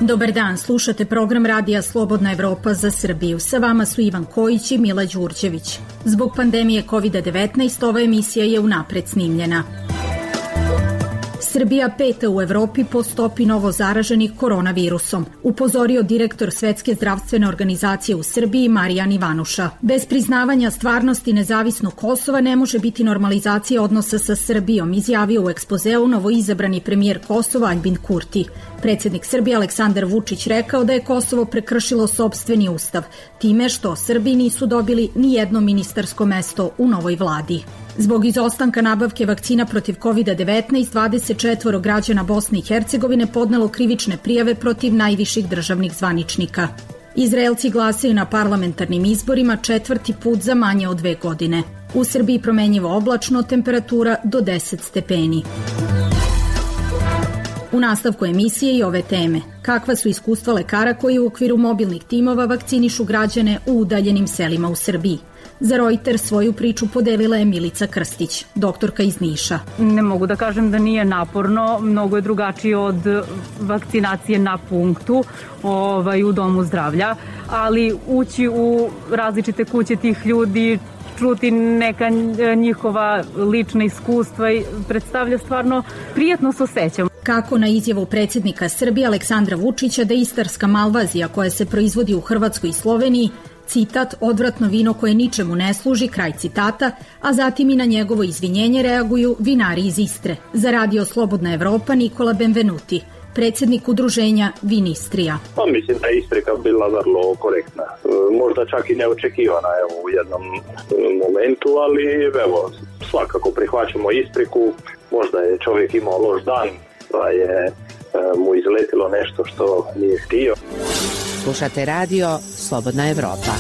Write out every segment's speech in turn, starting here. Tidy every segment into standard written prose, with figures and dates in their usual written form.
Dobar dan, slušate program Radija Slobodna Evropa za Srbiju. Sa vama su Ivan Kojić i Mila Đurđević. Zbog pandemije COVID-19 ova emisija je unapred snimljena. Srbija 5. u Evropi po stopi novo zaraženih koronavirusom, upozorio direktor Svetske zdravstvene organizacije u Srbiji Marijan Ivanuša. Bez priznavanja stvarnosti nezavisnog Kosova ne može biti normalizacija odnosa sa Srbijom, izjavio u ekspozeu novoizabrani premijer Kosova Aljbin Kurti. Predsjednik Srbije Aleksandar Vučić rekao da je Kosovo prekršilo sopstveni ustav, time što Srbi nisu dobili ni jedno ministarsko mesto u novoj vladi. Zbog izostanka nabavke vakcina protiv COVID-19, 24 građana Bosne i Hercegovine podnelo krivične prijave protiv najviših državnih zvaničnika. Izraelci glasaju na parlamentarnim izborima 4. put za manje od 2 godine. U Srbiji promenjivo oblačno, temperatura do 10 stepeni. U nastavku emisije i ove teme. Kakva su iskustva lekara koji u okviru mobilnih timova vakcinišu građane u udaljenim selima u Srbiji? Za Reuters svoju priču podelila je Milica Krstić, doktorka iz Niša. Ne mogu da kažem da nije naporno, mnogo je drugačije od vakcinacije na punktu u domu zdravlja, ali ući u različite kuće tih ljudi, čuti neka njihova lična iskustva i predstavlja stvarno prijatno se osjećam. Kako na izjavu predsjednika Srbije Aleksandra Vučića da istarska malvazija koja se proizvodi u Hrvatskoj i Sloveniji, citat, odvratno vino koje ničemu ne služi, kraj citata, a zatim i na njegovo izvinjenje reaguju vinari iz Istre. Za Radio Slobodna Evropa Nikola Benvenuti, predsjednik udruženja Vinistrija. Mislim da je Istrika bila vrlo korektna. Možda čak i neočekivana u jednom momentu, ali svakako prihvaćamo Istriku. Možda je čovjek imao loš dan, pa je mu izletilo nešto što nije htio. Slušate Radio Slobodna Evropa.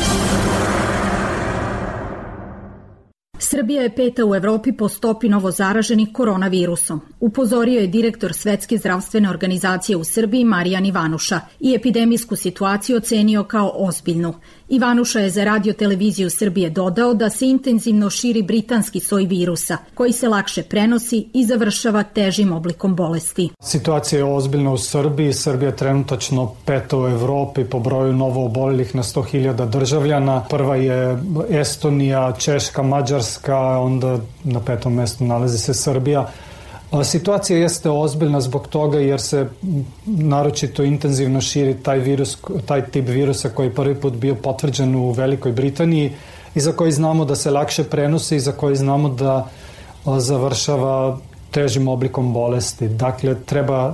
Srbija je 5. u Evropi po stopi novozaraženih koronavirusom, upozorio je direktor Svetske zdravstvene organizacije u Srbiji Marijan Ivanuša i epidemijsku situaciju ocenio kao ozbiljnu. Ivanuša je za Radio televiziju Srbije dodao da se intenzivno širi britanski soj virusa, koji se lakše prenosi i završava težim oblikom bolesti. Situacija je ozbiljna u Srbiji. Srbija je trenutačno 5. u Evropi po broju novoobolelih na 100.000 državljana. Prva je Estonija, Češka, Mađarska, onda na 5. mjestu nalazi se Srbija. Situacija jeste ozbiljna zbog toga jer se naročito intenzivno širi taj tip virusa koji je prvi put bio potvrđen u Velikoj Britaniji i za koji znamo da se lakše prenosi i za koji znamo da završava težim oblikom bolesti. Dakle,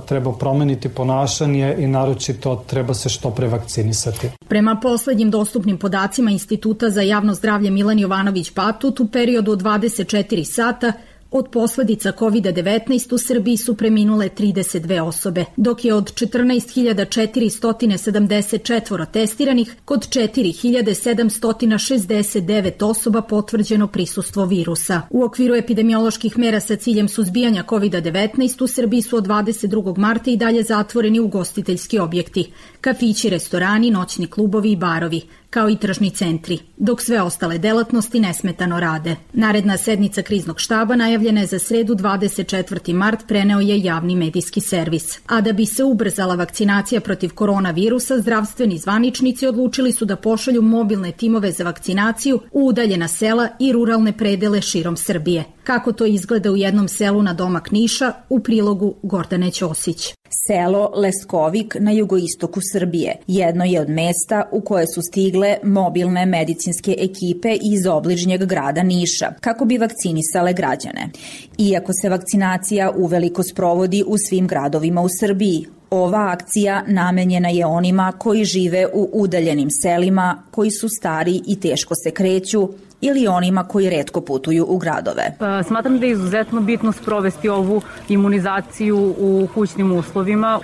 treba promeniti ponašanje i naročito treba se što pre vakcinisati. Prema poslednjim dostupnim podacima Instituta za javno zdravlje Milan Jovanović Batut, u periodu od 24 sata od posledica COVID-19 u Srbiji su preminule 32 osobe, dok je od 14.474 testiranih kod 4.769 osoba potvrđeno prisustvo virusa. U okviru epidemioloških mera sa ciljem suzbijanja COVID-19 u Srbiji su od 22. marta i dalje zatvoreni ugostiteljski objekti, kafići, restorani, noćni klubovi i barovi, kao i tržni centri, dok sve ostale delatnosti nesmetano rade. Naredna sednica kriznog štaba najavljena je za sredu 24. mart, preneo je javni medijski servis. A da bi se ubrzala vakcinacija protiv koronavirusa, zdravstveni zvaničnici odlučili su da pošalju mobilne timove za vakcinaciju u udaljena sela i ruralne predele širom Srbije. Kako to izgleda u jednom selu na domak Niša, u prilogu Gordane Ćosić. Selo Leskovik na jugoistoku Srbije jedno je od mesta u koje su stigle mobilne medicinske ekipe iz obližnjeg grada Niša kako bi vakcinisale građane. Iako se vakcinacija uveliko sprovodi u svim gradovima u Srbiji, ova akcija namenjena je onima koji žive u udaljenim selima, koji su stari i teško se kreću, ili onima koji retko putuju u gradove. Smatram da je izuzetno bitno sprovesti ovu imunizaciju u kućnim uslovima,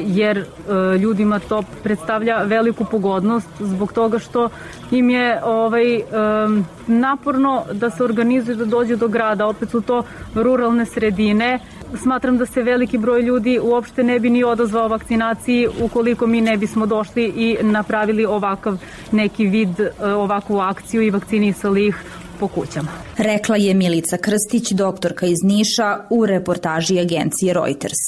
jer ljudima to predstavlja veliku pogodnost zbog toga što im je naporno da se organizuju da dođu do grada, opet su to ruralne sredine. Smatram da se veliki broj ljudi uopšte ne bi ni odazvao vakcinaciji ukoliko mi ne bismo došli i napravili ovakav neki vid, ovakvu akciju i vakcinisali ih po kućama. Rekla je Milica Krstić, doktorka iz Niša, u reportaži agencije Reuters.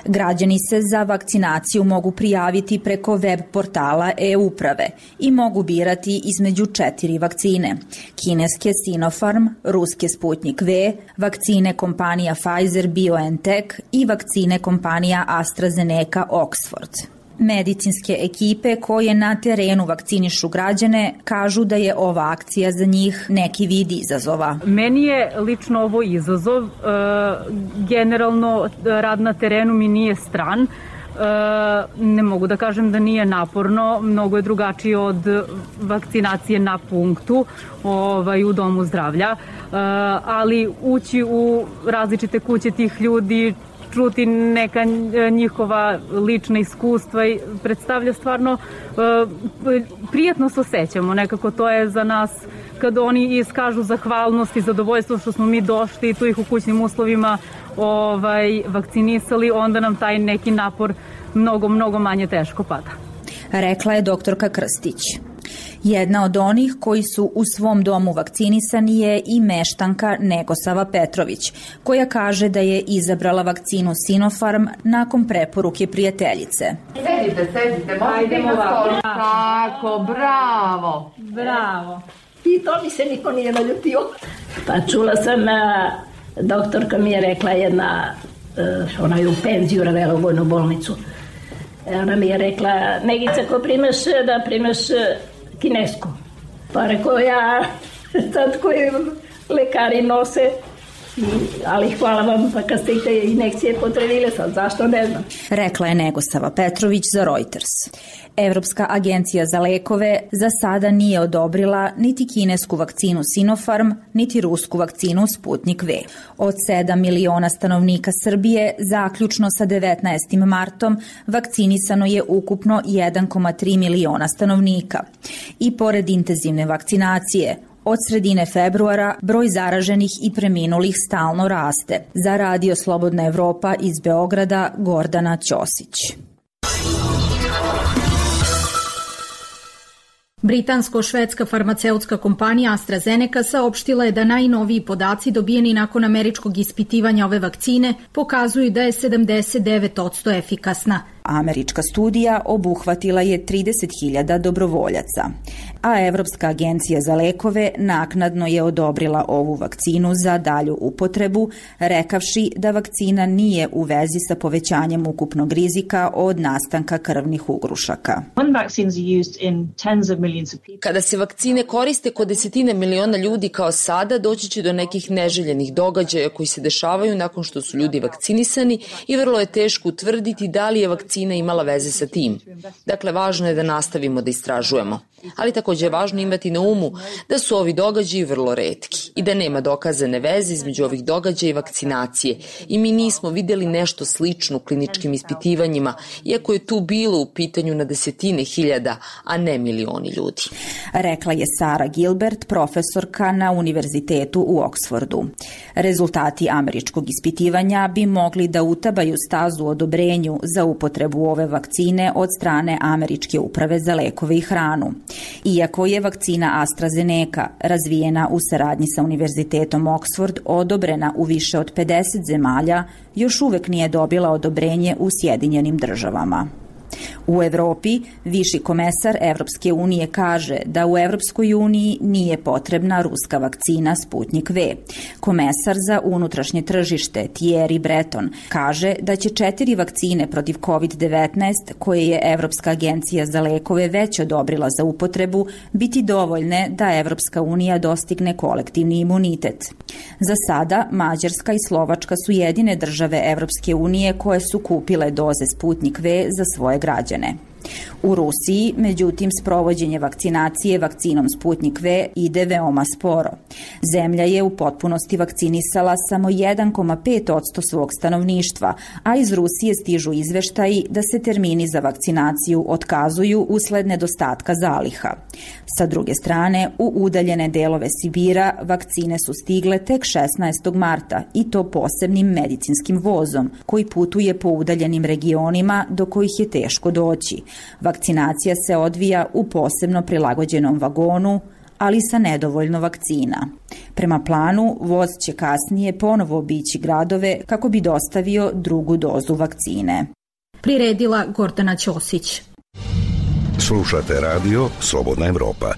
Građani se za vakcinaciju mogu prijaviti preko web portala e-uprave i mogu birati između 4 vakcine: kineske Sinopharm, ruske Sputnik V, vakcine kompanija Pfizer-BioNTech i vakcine kompanija AstraZeneca Oxford. Medicinske ekipe koje na terenu vakcinišu građane kažu da je ova akcija za njih neki vid izazova. Meni je lično ovo izazov. Generalno rad na terenu mi nije stran. Ne mogu da kažem da nije naporno, mnogo je drugačije od vakcinacije na punktu u domu zdravlja, ali ući u različite kuće tih ljudi, čuti neka njihova lična iskustva i predstavlja stvarno prijatno se osjećamo. Nekako to je za nas kada oni iskažu zahvalnost i zadovoljstvo što smo mi došli i tu ih u kućnim uslovima vakcinisali, onda nam taj neki napor mnogo manje teško pada. Rekla je doktorka Krstić. Jedna od onih koji su u svom domu vakcinisani je i meštanka Negosava Petrović, koja kaže da je izabrala vakcinu Sinopharm nakon preporuke prijateljice. Sedite, možete na stolu. Tako, bravo. I to mi se niko nije naljutio. Pa čula sam, doktorka mi je rekla jedna, ona je u penziju ravela u vojnu bolnicu. Ona mi je rekla, Negica, ko primeš, da primeš kinesku. Pa rekao ja, sad koji lekari nose, ali hvala vam, pa kad ste i te injekcije potrebile, sad zašto ne znam. Rekla je Negosava Petrović za Reuters. Evropska agencija za lekove za sada nije odobrila niti kinesku vakcinu Sinopharm, niti rusku vakcinu Sputnik V. Od 7 miliona stanovnika Srbije, zaključno sa 19. martom, vakcinisano je ukupno 1,3 miliona stanovnika. I pored intenzivne vakcinacije, od sredine februara broj zaraženih i preminulih stalno raste. Za Radio Slobodna Evropa iz Beograda, Gordana Ćosić. Britansko-švedska farmaceutska kompanija AstraZeneca saopštila je da najnoviji podaci dobijeni nakon američkog ispitivanja ove vakcine pokazuju da je 79% efikasna. Američka studija obuhvatila je 30.000 dobrovoljaca, a Evropska agencija za lekove naknadno je odobrila ovu vakcinu za dalju upotrebu, rekavši da vakcina nije u vezi sa povećanjem ukupnog rizika od nastanka krvnih ugrušaka. Kada se vakcine koriste kod desetine miliona ljudi kao sada, doći će do nekih neželjenih događaja koji se dešavaju nakon što su ljudi vakcinisani i vrlo je teško utvrditi da li je vakcina imala veze sa tim. Dakle, važno je da nastavimo da istražujemo. Ali takođe je važno imati na umu da su ovi događaji vrlo retki i da nema dokazane veze između ovih događaja i vakcinacije. I mi nismo videli nešto slično u kliničkim ispitivanjima, iako je tu bilo u pitanju na desetine hiljada, a ne milioni ljudi. Rekla je Sara Gilbert, profesorka na univerzitetu u Oksfordu. Rezultati američkog ispitivanja bi mogli da utabaju stazu odobrenju za upotrebu ove vakcine od strane Američke uprave za lekove i hranu. Iako je vakcina AstraZeneca razvijena u saradnji sa Univerzitetom Oxford odobrena u više od 50 zemalja, još uvek nije dobila odobrenje u Sjedinjenim državama. U Evropi, viši komesar Evropske unije kaže da u Evropskoj uniji nije potrebna ruska vakcina Sputnik V. Komesar za unutrašnje tržište Thierry Breton kaže da će 4 vakcine protiv COVID-19 koje je Evropska agencija za lekove već odobrila za upotrebu biti dovoljne da Evropska unija dostigne kolektivni imunitet. Za sada, Mađarska i Slovačka su jedine države Evropske unije koje su kupile doze Sputnik V za svoje građane. U Rusiji, međutim, sprovođenje vakcinacije vakcinom Sputnik V ide veoma sporo. Zemlja je u potpunosti vakcinisala samo 1,5% svog stanovništva, a iz Rusije stižu izveštaji da se termini za vakcinaciju otkazuju usled nedostatka zaliha. Sa druge strane, u udaljene delove Sibira vakcine su stigle tek 16. marta i to posebnim medicinskim vozom koji putuje po udaljenim regionima do kojih je teško doći. Vakcinacija se odvija u posebno prilagođenom vagonu, ali sa nedovoljno vakcina. Prema planu, voz će kasnije ponovo obići gradove kako bi dostavio drugu dozu vakcine. Priredila Gordana Ćosić. Slušate radio Slobodna Evropa.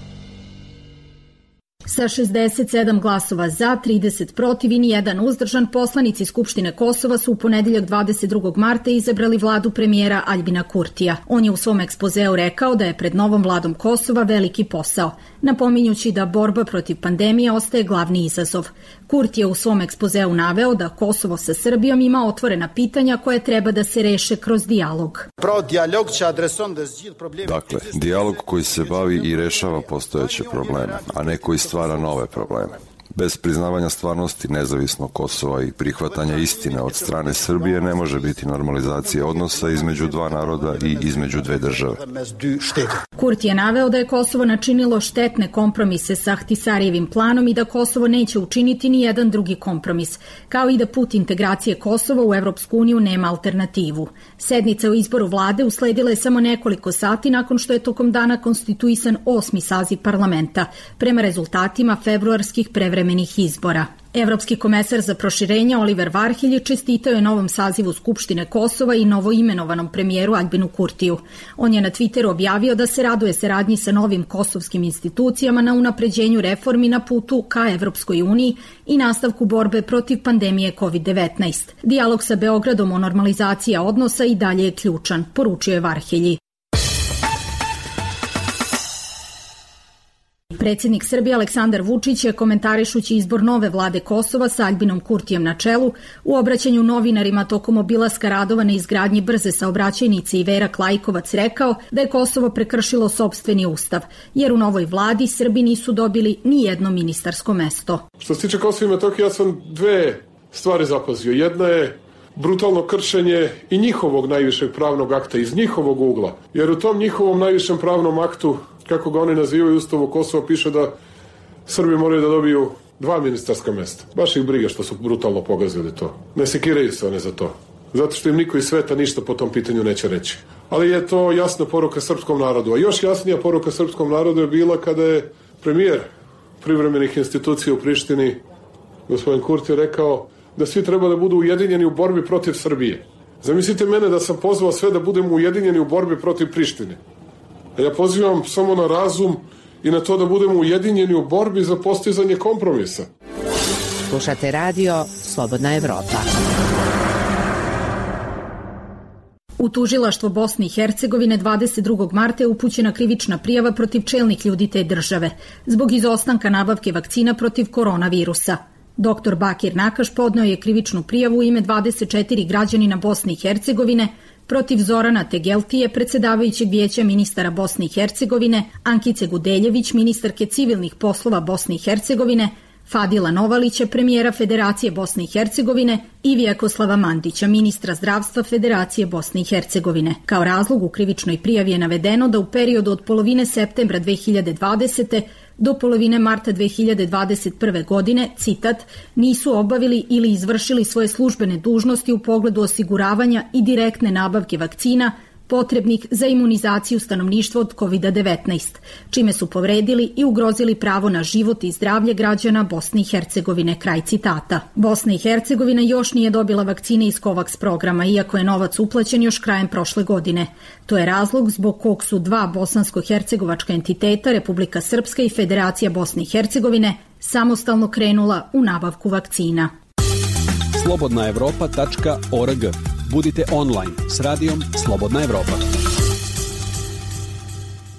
Sa 67 glasova za, 30 protiv i nijedan uzdržan, poslanici Skupštine Kosova su u ponedeljak 22. marta izabrali vladu premijera Aljbina Kurtija. On je u svom ekspozeu rekao da je pred novom vladom Kosova veliki posao, napominjući da borba protiv pandemije ostaje glavni izazov. Kurti je u svom ekspozeu naveo da Kosovo sa Srbijom ima otvorena pitanja koje treba da se reše kroz dijalog. Dakle, dijalog koji se bavi i rešava postojeće probleme, a ne koji stvara nove probleme. Bez priznavanja stvarnosti nezavisnog Kosova i prihvatanja istine od strane Srbije ne može biti normalizacije odnosa između dva naroda i između dve države. Kurti je naveo da je Kosovo načinilo štetne kompromise sa Ahtisarijevim planom i da Kosovo neće učiniti ni jedan drugi kompromis, kao i da put integracije Kosova u Evropsku uniju nema alternativu. Sednica o izboru vlade usledila je samo nekoliko sati nakon što je tokom dana konstituisan 8. saziv parlamenta, prema rezultatima februarskih prevremenih izbora. Evropski komesar za proširenje Oliver Varhelji čestitao je novom sazivu Skupštine Kosova i novoimenovanom premijeru Aljbinu Kurtiju. On je na Twitteru objavio da se raduje saradnji sa novim kosovskim institucijama na unapređenju reformi na putu ka Evropskoj uniji i nastavku borbe protiv pandemije COVID-19. Dijalog sa Beogradom o normalizaciji odnosa i dalje je ključan, poručio je Varhelji. Predsjednik Srbije Aleksandar Vučić je, komentarišući izbor nove vlade Kosova sa Aljbinom Kurtijem na čelu, u obraćanju novinarima tokom obilaska radova na izgradnji brze saobraćajnice Iverak Lajkovac rekao da je Kosovo prekršilo sopstveni ustav, jer u novoj vladi Srbi nisu dobili ni jedno ministarsko mesto. Što se tiče Kosova i Metohije, ja sam dve stvari zapazio. Jedna je brutalno kršenje i njihovog najvišeg pravnog akta iz njihovog ugla, jer u tom njihovom najvišem pravnom aktu, kako ga oni nazivaju, u Ustavu Kosova piše da Srbi moraju da dobiju 2 ministarska mesta. Baš ih briga što su brutalno pogazili to. Ne sekiraju se one za to. Zato što im niko iz sveta ništa po tom pitanju neće reći. Ali je to jasna poruka srpskom narodu. A još jasnija poruka srpskom narodu je bila kada je premijer privremenih institucija u Prištini, gospodin Kurti, rekao da svi treba da budu ujedinjeni u borbi protiv Srbije. Zamislite mene da sam pozvao sve da budemo ujedinjeni u borbi protiv Prištine. Ja pozivam samo na razum i na to da budemo ujedinjeni u borbi za postizanje kompromisa. Slušate radio Slobodna Evropa. U tužilaštvo Bosne i Hercegovine 22. marta je upućena krivična prijava protiv čelnih ljudi te države zbog izostanka nabavke vakcina protiv koronavirusa. Dr. Bakir Nakaš podneo je krivičnu prijavu u ime 24 građanina Bosne i Hercegovine protiv Zorana Tegeltije, predsedavajućeg vijeća ministara Bosne i Hercegovine, Ankice Gudeljević, ministarke civilnih poslova Bosne i Hercegovine, Fadila Novalića, premijera Federacije Bosne i Hercegovine i Vjekoslava Mandića, ministra zdravstva Federacije Bosne i Hercegovine. Kao razlog u krivičnoj prijavi je navedeno da u periodu od polovine septembra 2020. do polovine marta 2021. godine, citat, nisu obavili ili izvršili svoje službene dužnosti u pogledu osiguravanja i direktne nabavke vakcina potrebnih za imunizaciju stanovništva od COVID-19, čime su povredili i ugrozili pravo na život i zdravlje građana Bosne i Hercegovine, kraj citata. Bosna i Hercegovina još nije dobila vakcine iz COVAX programa, iako je novac uplaćen još krajem prošle godine. To je razlog zbog kog su dva bosansko-hercegovačka entiteta, Republika Srpska i Federacija Bosne i Hercegovine, samostalno krenula u nabavku vakcina. slobodnaevropa.org. Budite online s radijom Slobodna Evropa.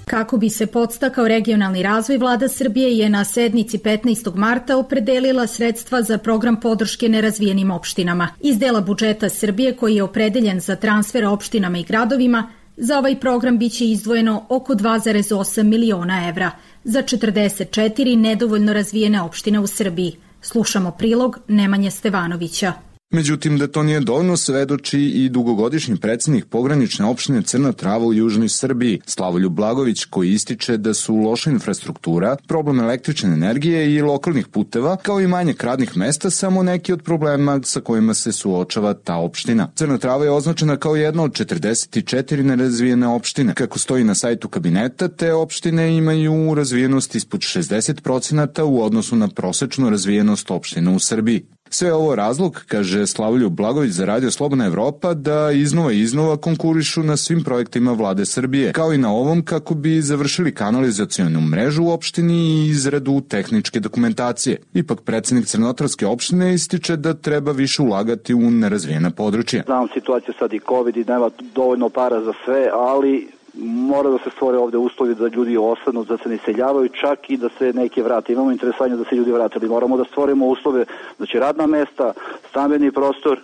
Kako bi se podstakao regionalni razvoj, vlada Srbije je na sednici 15. marta opredelila sredstva za program podrške nerazvijenim opštinama. Iz dela budžeta Srbije, koji je opredeljen za transfer opštinama i gradovima, za ovaj program biće izdvojeno oko 2,8 miliona evra za 44 nedovoljno razvijene opštine u Srbiji. Slušamo prilog Nemanje Stevanovića. Međutim, da to nije dovoljno svedoči i dugogodišnji predsjednik pogranične opštine Crna Trava u južnoj Srbiji, Slavoljub Blagović, koji ističe da su loša infrastruktura, problem električne energije i lokalnih puteva, kao i manjak radnih mesta, samo neki od problema sa kojima se suočava ta opština. Crna Trava je označena kao jedna od 44 nerazvijene opštine. Kako stoji na sajtu kabineta, te opštine imaju razvijenost ispod 60% u odnosu na prosečnu razvijenost opština u Srbiji. Sve ovo razlog, kaže Slavoljub Blagović za Radio Slobodna Evropa, da iznova konkurišu na svim projektima vlade Srbije, kao i na ovom kako bi završili kanalizacionu mrežu u opštini i izradu tehničke dokumentacije. Ipak predsjednik Crnotarske opštine ističe da treba više ulagati u nerazvijena područja. Znam situaciju sad i COVID i nema dovoljno para za sve, ali mora da se stvore ovde uslovi da ljudi ostanu, da se ne iseljavaju, čak i da se neki vrate. Imamo interesovanje da se ljudi vrate, ali moramo da stvorimo uslove, znači radna mesta, stambeni prostor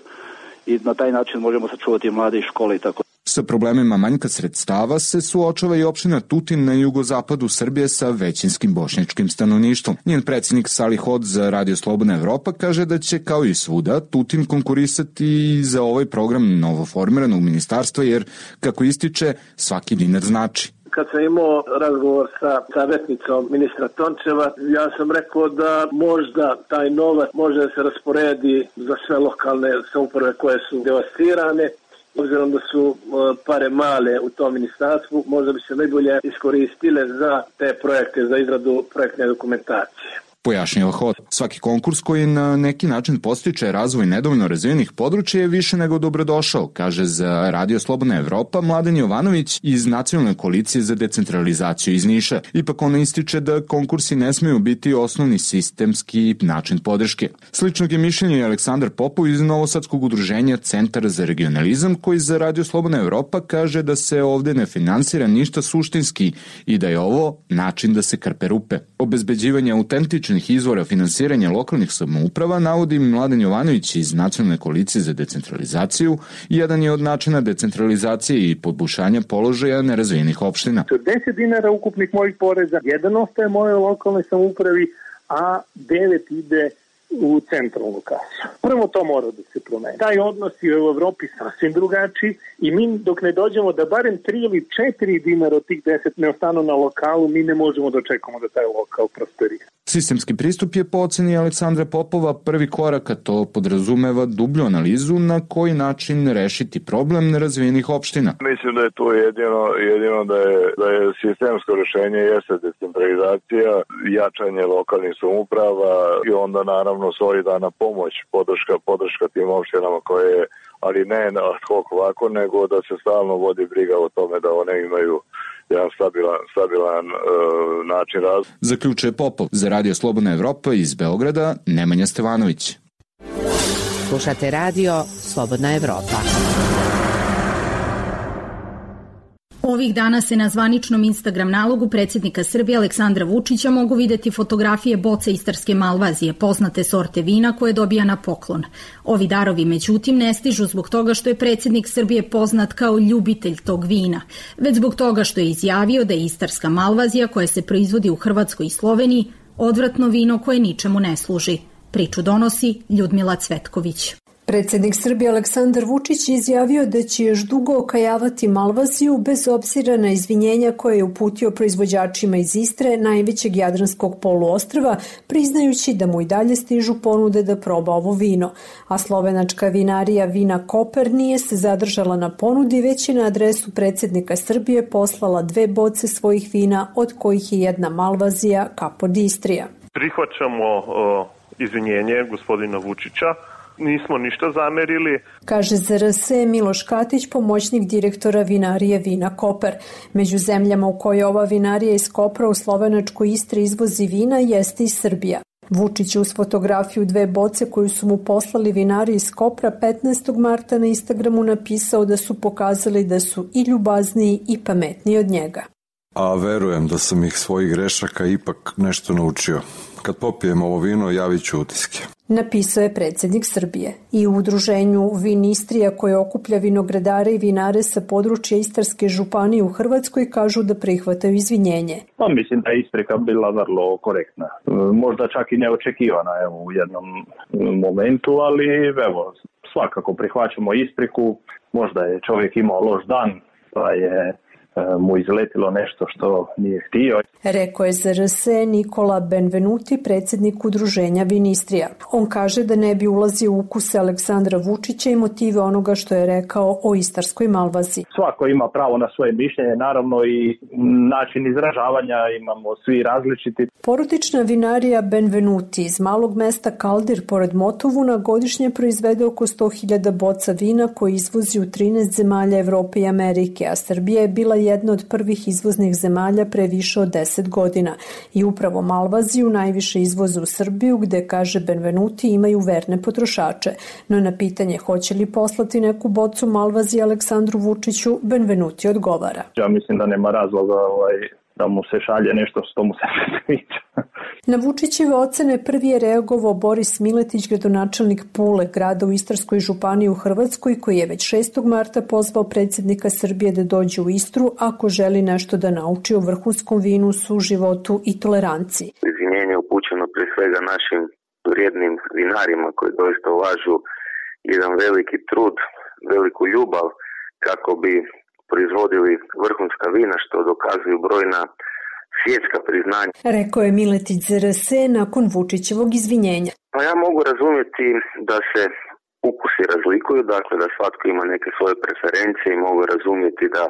i na taj način možemo sačuvati mlade i škole i tako. Sa problemima manjka sredstava se suočava i opština Tutin na jugozapadu Srbije sa većinskim bošnjačkim stanovništvom. Njen predsjednik Salih Hod za Radio Slobodna Evropa kaže da će kao i svuda Tutin konkurisati i za ovaj program novoformiranog ministarstva jer, kako ističe, svaki dinar znači. Kad sam imao razgovor sa savjetnicom ministra Tončeva, ja sam rekao da možda taj novac može da se rasporedi za sve lokalne samouprave koje su devastirane. Obzirom da su pare male u tom ministarstvu, možda bi se najbolje iskoristile za te projekte, za izradu projektne dokumentacije. Pojašnjava Hod. Svaki konkurs koji na neki način podstiče razvoj nedovoljno razvijenih područja je više nego dobrodošao, kaže za Radio Slobodna Evropa Mladen Jovanović iz Nacionalne koalicije za decentralizaciju iz Niša. Ipak ona ističe da konkursi ne smeju biti osnovni sistemski način podrške. Sličnog je mišljenja i Aleksandar Popov iz Novosadskog udruženja Centar za regionalizam, koji za Radio Slobodna Evropa kaže da se ovde ne finansira ništa suštinski i da je ovo način da se krpe rupe. Obezbeđivanje autentičnih izvora finansiranja lokalnih samouprava navodi Mladen Jovanović iz Nacionalne koalicije za decentralizaciju, jedan je od načina decentralizacije i poboljšanja položaja nerazvijenih opština. 10 dinara ukupnih mojih poreza, jedan ostaje moje lokalnoj samoupravi, a 9 ide u centralnu kasu. Prvo to mora da se promeni. Taj odnos je u Evropi sasvim drugačiji i mi dok ne dođemo da barem 3 ili 4 dinara od tih 10 ne ostanu na lokalu, mi ne možemo da očekamo da taj lokal prosperira. Sistemski pristup je po oceni Aleksandra Popova prvi korak, a to podrazumeva dublju analizu na koji način rešiti problem nerazvijenih opština. Mislim da je to jedino da je sistemsko rešenje jeste decentralizacija, jačanje lokalnih samouprava i onda naravno solidana pomoć, podrška tim opštinama koje je, ali ne ad hoc ovako, nego da se stalno vodi briga o tome da one imaju jedan stabilan način razvoja. Zaključuje Popov. Za Radio Slobodna Evropa iz Beograda, Nemanja Stevanović. Slušate Radio Slobodna Evropa. Ovih dana se na zvaničnom Instagram nalogu predsjednika Srbije Aleksandra Vučića mogu videti fotografije boce istarske malvazije, poznate sorte vina koje dobija na poklon. Ovi darovi, međutim, ne stižu zbog toga što je predsjednik Srbije poznat kao ljubitelj tog vina, već zbog toga što je izjavio da je istarska malvazija koja se proizvodi u Hrvatskoj i Sloveniji odvratno vino koje ničemu ne služi. Priču donosi Ljudmila Cvetković. Predsjednik Srbije Aleksandar Vučić izjavio da će još dugo okajavati malvaziju bez obzira na izvinjenja koje je uputio proizvođačima iz Istre, najvećeg jadranskog poluostrva, priznajući da mu i dalje stižu ponude da proba ovo vino. A slovenačka vinarija Vina Koper nije se zadržala na ponudi, već je na adresu predsjednika Srbije poslala 2 boce svojih vina, od kojih je jedna malvazija Capod Istrija. Prihvaćamo izvinjenje gospodina Vučića. Nismo ništa zamerili. Kaže za RS Miloš Katić, pomoćnik direktora vinarije Vina Koper. Među zemljama u kojoj ova vinarija iz Kopra u slovenačkoj Istri izvozi vina jeste i Srbija. Vučić uz fotografiju 2 boce koju su mu poslali vinari iz Kopra 15. marta na Instagramu napisao da su pokazali da su i ljubazniji i pametniji od njega. A verujem da sam ih svojih grešaka ipak nešto naučio. Kad popijem ovo vino, javit ću utiske. Napisao je predsjednik Srbije. I u udruženju Vin Istrija koje okuplja vinogradare i vinare sa područja Istarske županije u Hrvatskoj kažu da prihvataju izvinjenje. Mislim da je isprika bila vrlo korektna. Možda čak i neočekivana u jednom momentu, ali svakako prihvaćamo ispriku, možda je čovjek imao loš dan, pa je mu izletilo nešto što nije htio. Rekao je za RS Nikola Benvenuti, predsjednik udruženja Vinistrija. On kaže da ne bi ulazio u ukuse Aleksandra Vučića i motive onoga što je rekao o istarskoj malvazi. Svako ima pravo na svoje mišljenje, naravno i način izražavanja imamo svi različiti. Porodična vinarija Benvenuti iz malog mesta Kaldir pored Motovuna godišnje proizvede oko 100.000 boca vina koji izvozi u 13 zemalja Evrope i Amerike, a Srbija je bila jedna od prvih izvoznih zemalja pre više od 10 godina i upravo malvaziju najviše izvoze u Srbiju gde, kaže Benvenuti, imaju verne potrošače. No na pitanje hoće li poslati neku bocu malvazije Aleksandru Vučiću, Benvenuti odgovara. Ja mislim da nema razloga da mu se šalje nešto što mu se ne sviđa. Na Vučićeve ocene prvi je reagovao Boris Miletić, gradonačelnik Pule, grada u Istarskoj županiji u Hrvatskoj, koji je već 6. marta pozvao predsjednika Srbije da dođe u Istru ako želi nešto da nauči o vrhunskom vinu, suživotu i toleranciji. Izvinjenje upućeno pre svega našim vrijednim vinarima koji doista ulažu jedan veliki trud, veliku ljubav kako bi proizvodili vrhunska vina, što dokazuju brojna svjetska priznanja. Rekao je Miletić za RS nakon Vučićevog izvinjenja. Pa ja mogu razumjeti da se ukusi razlikuju, dakle da svatko ima neke svoje preferencije i mogu razumjeti da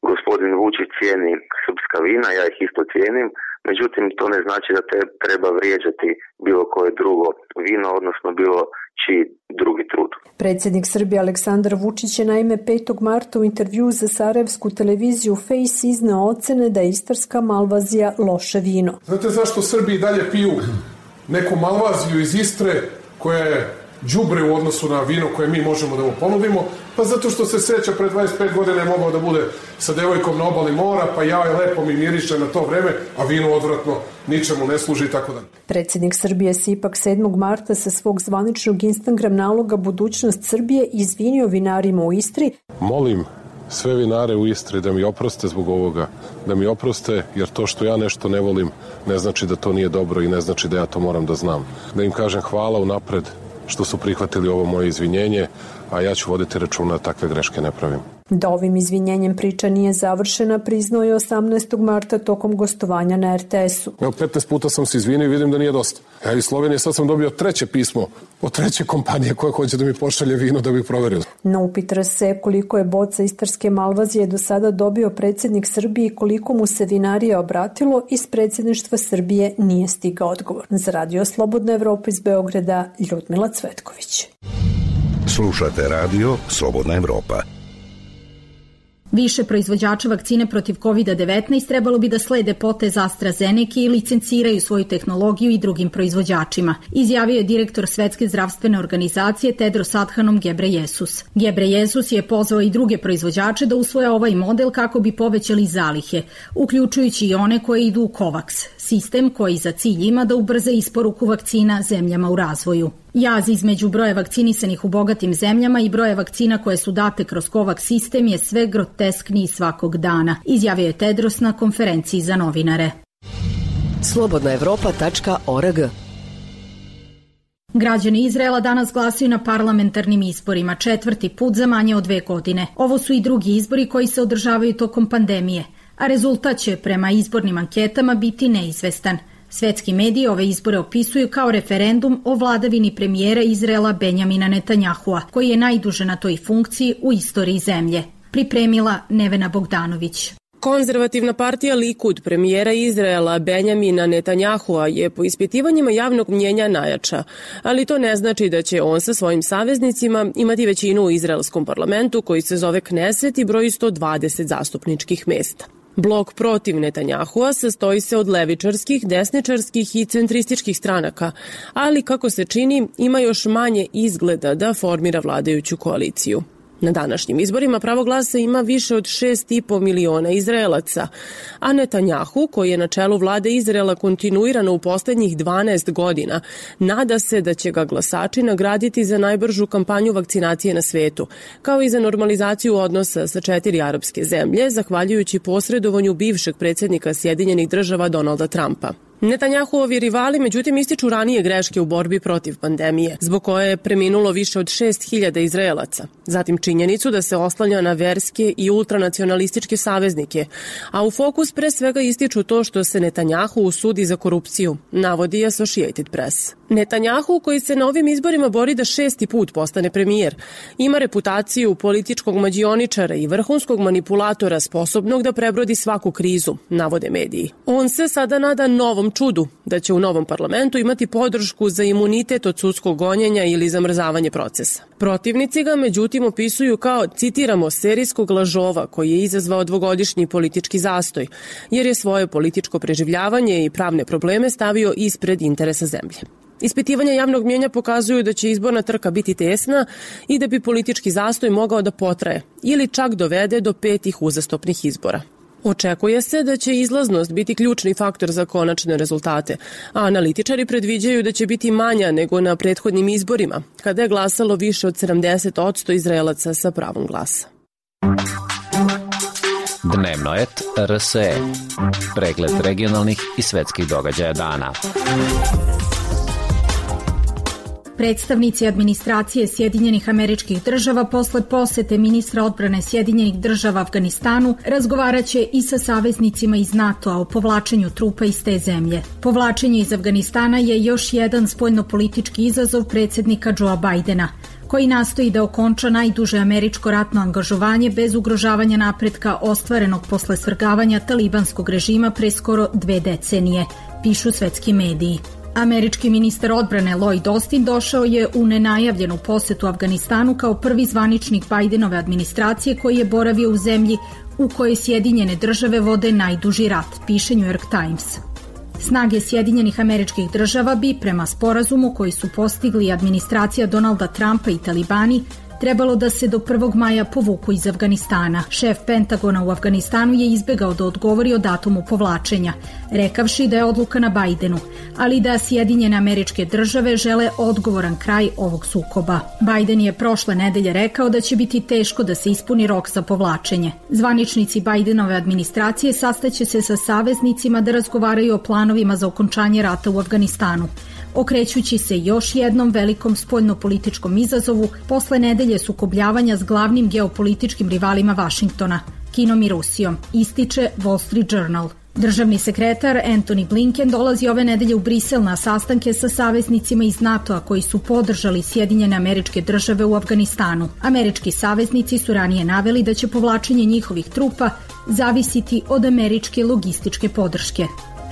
gospodin Vučić cijeni srpska vina, ja ih isto cijenim, međutim to ne znači da treba vrijeđati bilo koje drugo vino, odnosno bilo čiji drugi trud. Predsjednik Srbije Aleksandar Vučić je naime 5. marta u intervju za sarajevsku televiziju Face izneo ocene da je istarska malvazija loše vino. Znate zašto Srbi dalje piju neku malvaziju iz Istre koja je đubre u odnosu na vino koje mi možemo da mu ponudimo? Pa zato što se seća pre 25 godina je mogao da bude sa devojkom na obali mora, pa ja je lepo mi miriše na to vreme, a vino odvratno ničemu ne služi i tako dalje. Predsjednik Srbije se ipak 7. marta sa svog zvaničnog Instagram naloga Budućnost Srbije izvinio vinarima u Istri. Molim sve vinare u Istri da mi oproste zbog ovoga, da mi oproste jer to što ja nešto ne volim ne znači da to nije dobro i ne znači da ja to moram da znam. Da im kažem hvala unapred što su prihvatili ovo moje izvinjenje, a ja ću voditi računa da takve greške ne pravim. Da ovim izvinjenjem priča nije završena, priznao je 18. marta tokom gostovanja na RTS-u. Evo, 15 puta sam se izvinio i vidim da nije dosta. Ja iz Slovenije sad sam dobio 3. pismo od 3. kompanije koja hoće da mi pošalje vino da bih proverio. Na upit RS koliko je boca istarske malvazije do sada dobio predsjednik Srbije i koliko mu se vinarija obratilo, iz predsjedništva Srbije nije stigao odgovor. Za Radio Slobodna Evropa iz Beograda, Ljudmila Cvetković. Slušate radio Slobodna Evropa. Više proizvođača vakcine protiv COVID-19 trebalo bi da slede potez AstraZeneca i licenciraju svoju tehnologiju i drugim proizvođačima, izjavio je direktor Svetske zdravstvene organizacije Tedros Adhanom Ghebreyesus. Ghebreyesus je pozvao i druge proizvođače da usvoje ovaj model kako bi povećali zalihe, uključujući i one koje idu u COVAX, sistem koji za cilj ima da ubrza isporuku vakcina zemljama u razvoju. Jaz između broja vakcinisanih u bogatim zemljama i broja vakcina koje su date kroz COVAX sistem je sve groteskniji svakog dana, izjavio je Tedros na konferenciji za novinare. slobodnaevropa.org. Građani Izraela danas glasaju na parlamentarnim izborima, 4. put za manje od 2 godine. Ovo su i drugi izbori koji se održavaju tokom pandemije, a rezultat će prema izbornim anketama biti neizvestan. Svetski mediji ove izbore opisuju kao referendum o vladavini premijera Izraela Benjamina Netanyahua, koji je najduže na toj funkciji u istoriji zemlje. Pripremila Nevena Bogdanović. Konzervativna partija Likud premijera Izraela Benjamina Netanyahua je po ispitivanjima javnog mnjenja najjača, ali to ne znači da će on sa svojim saveznicima imati većinu u izraelskom parlamentu koji se zove Kneset i broji 120 zastupničkih mesta. Blok protiv Netanyahua sastoji se od levičarskih, desničarskih i centrističkih stranaka, ali kako se čini ima još manje izgleda da formira vladajuću koaliciju. Na današnjim izborima pravo glasa ima više od 6,5 miliona Izraelaca, a Netanjahu, koji je na čelu vlade Izraela kontinuirano u poslednjih 12 godina, nada se da će ga glasači nagraditi za najbržu kampanju vakcinacije na svetu, kao i za normalizaciju odnosa sa 4 arapske zemlje, zahvaljujući posredovanju bivšeg predsjednika Sjedinjenih Država Donalda Trumpa. Netanjahuovi rivali međutim ističu ranije greške u borbi protiv pandemije, zbog koje je preminulo više od 6.000 Izraelaca. Zatim činjenicu da se oslanja na verske i ultranacionalističke saveznike, a u fokus pre svega ističu to što se Netanjahu usudi za korupciju, navodi Associated Press. Netanjahu, koji se na ovim izborima bori da 6. put postane premijer, ima reputaciju političkog mađioničara i vrhunskog manipulatora sposobnog da prebrodi svaku krizu, navode mediji. On se sada nada novom čudu, da će u novom parlamentu imati podršku za imunitet od sudskog gonjenja ili zamrzavanje procesa. Protivnici ga međutim opisuju kao, citiramo, serijskog lažova koji je izazvao dvogodišnji politički zastoj, jer je svoje političko preživljavanje i pravne probleme stavio ispred interesa zemlje. Ispitivanja javnog mnjenja pokazuju da će izborna trka biti tesna i da bi politički zastoj mogao da potraje ili čak dovede do 5 uzastopnih izbora. Očekuje se da će izlaznost biti ključni faktor za konačne rezultate, a analitičari predviđaju da će biti manja nego na prethodnim izborima, kada je glasalo više od 70% Izraelaca sa pravom glasa. Dnevno et RSE. Pregled regionalnih i svetskih događaja dana. Predstavnici administracije Sjedinjenih Američkih Država posle posete ministra odbrane Sjedinjenih Država Afganistanu razgovaraće i sa saveznicima iz NATO-a o povlačenju trupa iz te zemlje. Povlačenje iz Afganistana je još jedan spoljnopolitički izazov predsjednika Joea Bidena, koji nastoji da okonča najduže američko ratno angažovanje bez ugrožavanja napretka ostvarenog posle svrgavanja talibanskog režima pre skoro 2 decenije, pišu svetski mediji. Američki ministar odbrane Lloyd Austin došao je u nenajavljenu posetu Afganistanu kao prvi zvaničnik Bidenove administracije koji je boravio u zemlji u kojoj Sjedinjene Države vode najduži rat, piše New York Times. Snage Sjedinjenih Američkih Država bi, prema sporazumu koji su postigli administracija Donalda Trumpa i talibani, trebalo da se do 1. maja povuku iz Afganistana. Šef Pentagona u Afganistanu je izbegao da odgovori o datumu povlačenja, rekavši da je odluka na Bidenu, ali da Sjedinjene Američke Države žele odgovoran kraj ovog sukoba. Biden je prošle nedelje rekao da će biti teško da se ispuni rok za povlačenje. Zvaničnici Bidenove administracije sastaće se sa saveznicima da razgovaraju o planovima za okončanje rata u Afganistanu, okrećući se još jednom velikom spoljnopolitičkom izazovu posle nedelje sukobljavanja s glavnim geopolitičkim rivalima Vašingtona, Kinom i Rusijom, ističe Wall Street Journal. Državni sekretar Antony Blinken dolazi ove nedelje u Brisel na sastanke sa saveznicima iz NATO-a koji su podržali Sjedinjene Američke Države u Afganistanu. Američki saveznici su ranije naveli da će povlačenje njihovih trupa zavisiti od američke logističke podrške.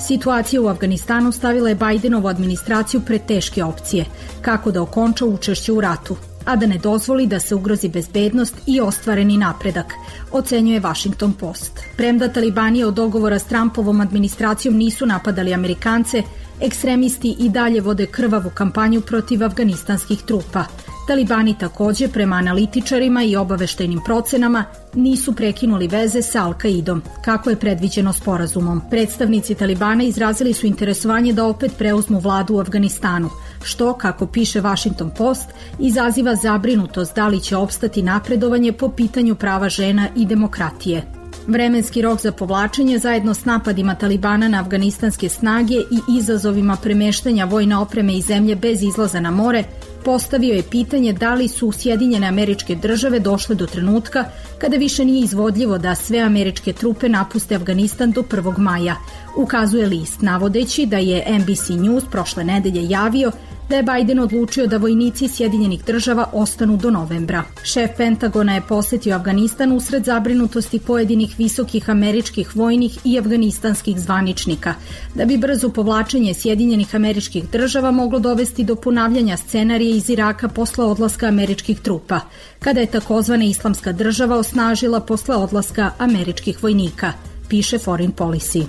Situacija u Afganistanu stavila je Bidenovu administraciju pred teške opcije, kako da okonča učešće u ratu, a da ne dozvoli da se ugrozi bezbednost i ostvareni napredak, ocenjuje Washington Post. Premda talibani od dogovora s Trumpovom administracijom nisu napadali Amerikance, ekstremisti i dalje vode krvavu kampanju protiv afganistanskih trupa. Talibani takođe, prema analitičarima i obaveštajnim procenama, nisu prekinuli veze sa Al-Kaidom, kako je predviđeno sporazumom. Predstavnici Talibana izrazili su interesovanje da opet preuzmu vladu u Afganistanu, što, kako piše Washington Post, izaziva zabrinutost da li će opstati napredovanje po pitanju prava žena i demokratije. Vremenski rok za povlačenje zajedno s napadima Talibana na afganistanske snage i izazovima premeštanja vojne opreme iz zemlje bez izlaza na more postavio je pitanje da li su Sjedinjene Američke Države došle do trenutka kada više nije izvodljivo da sve američke trupe napuste Afganistan do 1. maja, ukazuje list, navodeći da je NBC News prošle nedelje javio da je Biden odlučio da vojnici Sjedinjenih Država ostanu do novembra. Šef Pentagona je posetio Afganistan usred zabrinutosti pojedinih visokih američkih vojnih i afganistanskih zvaničnika, da bi brzo povlačenje Sjedinjenih Američkih Država moglo dovesti do ponavljanja scenarija iz Iraka posle odlaska američkih trupa, kada je takozvana Islamska država osnažila posle odlaska američkih vojnika, piše Foreign Policy.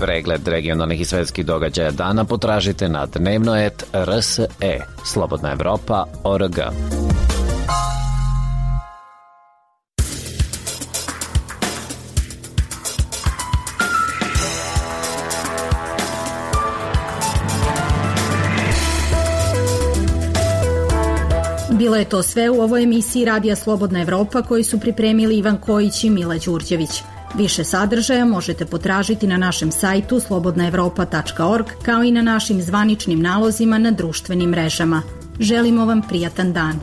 Pregled regionalnih i svetskih događaja dana potražite na dnevno.rs.e, Slobodna Evropa.org. Bilo je to sve u ovoj emisiji Radija Slobodna Evropa koju su pripremili Ivan Kojić i Mila Đurđević. Više sadržaja možete potražiti na našem sajtu slobodnaevropa.org kao i na našim zvaničnim nalozima na društvenim mrežama. Želimo vam prijatan dan.